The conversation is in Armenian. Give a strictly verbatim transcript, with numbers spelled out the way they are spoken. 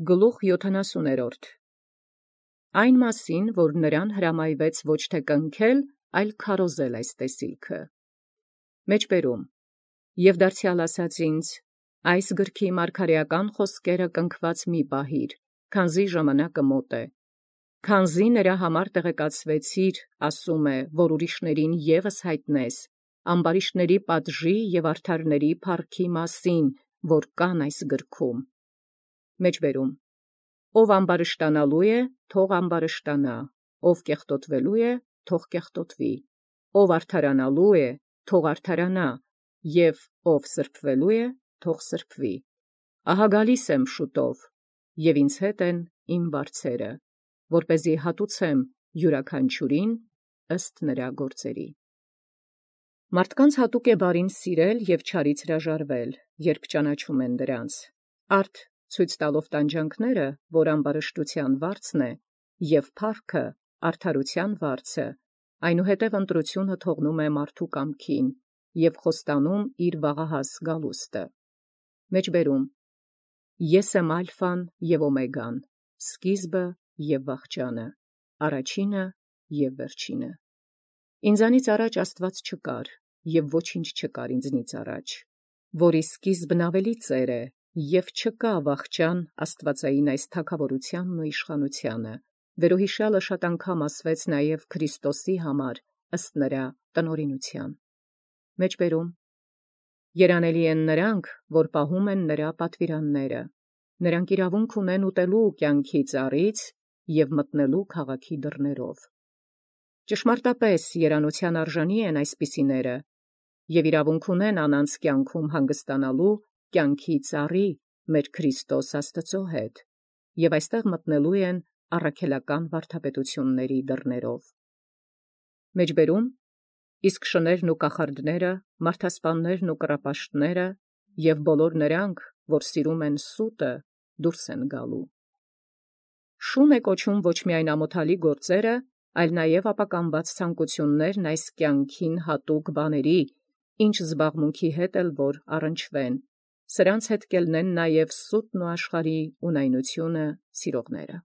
Գլուխ յոթանասուներորդ. Այն մասին, որ նրան հրամայեաց ոչ թե կնքել, այլ քարոզել այս տեսիլքը։ Մեջբերում. Եւ դարձեալ ասաց ինձ. այս գրքի մարգարեական խոսքերը կնքված մի պահիր, քանզի ժամանակը մոտ է, քանզի նրա համար տեղեկացվեցիր, ասում է, որ ուրիշներին ևս հայտնես, ամբարիշտների պատժի եւ արդարների փառքի մասին, որ կան այս գրքում։ Մեջբերում. ով ամբարշտանալու է, թող ամբարշտանա, ով կեղտոտվելու է, թող կեղտոտվի, ով արդարանալու է, թող արդարանա, և ով սրբվելու է, թող սրբվի։ Ահա գալիս եմ շուտով, և ինձ հետ են իմ վարձերը, որպեսզի հատուցեմ յուրաքանչյուրին ըստ նրա գործերի։ Մարդկանց հատուկ է բարին սիրել և չարից հրաժարվել, երբ ճանաչում են դրանց, արդ ցույց տալով տանջանքները, որ ամբարշտության վարձն է, և փառքը արդարության վարձը, այնուհետև ընտրությունը թողնում է մարդու կամքին և խոստանում իր վաղահաս գալուստը։ Մեջբերում. Ես եմ ալֆան և օմեգան, սկիզբը և վախճանը, առաջինը և վերջինը։ Ինձանից առաջ Աստուած չկար, և ոչինչ չկար ինձնից առաջ, որի սկիզբն ավելի ծեր է, և չկա վախճան աստուածային այս թագաւորութեանն ու իշխանութեանը, վերոյիշեալը շատ անգամ ասվեց նաև Քրիստոսի համար ըստ նրա տնօրինութեան։ Մեջբերում. երանելի են նրանք, որ պահում են նրա պատվիրանները, նրանք իրավունք ունեն ուտելու կյանքի ծառից և մտնելու քաղաքի դռներով։ Ճշմարտապես երանութեան արժանի են այսպիսիները, և իրավունք ունեն անանց կյանքում հանգստանալու կյանքի ծառի մեր Քրիստոս Աստուծո հետ, և այստեղ մտնելու են առաքելական վարդապետությունների դռներով։ Մեջբերում. իսկ շներն ու կախարդները, մարդասպաններն ու կռապաշտները և բոլոր նրանք, որ սիրում են սուտը, դուրս են գալու։ Շուն է կոչում ոչ միայն ամոթալի գործերը, այլ նաև ապականված ցանկություններն այս կյանքին հատուկ բաների, ինչ զբաղմունքի հետ էլ որ առնչվեն, սրանց հետ կելնեն նաև սուտն ու աշխարհի ունայնությունը սիրողները։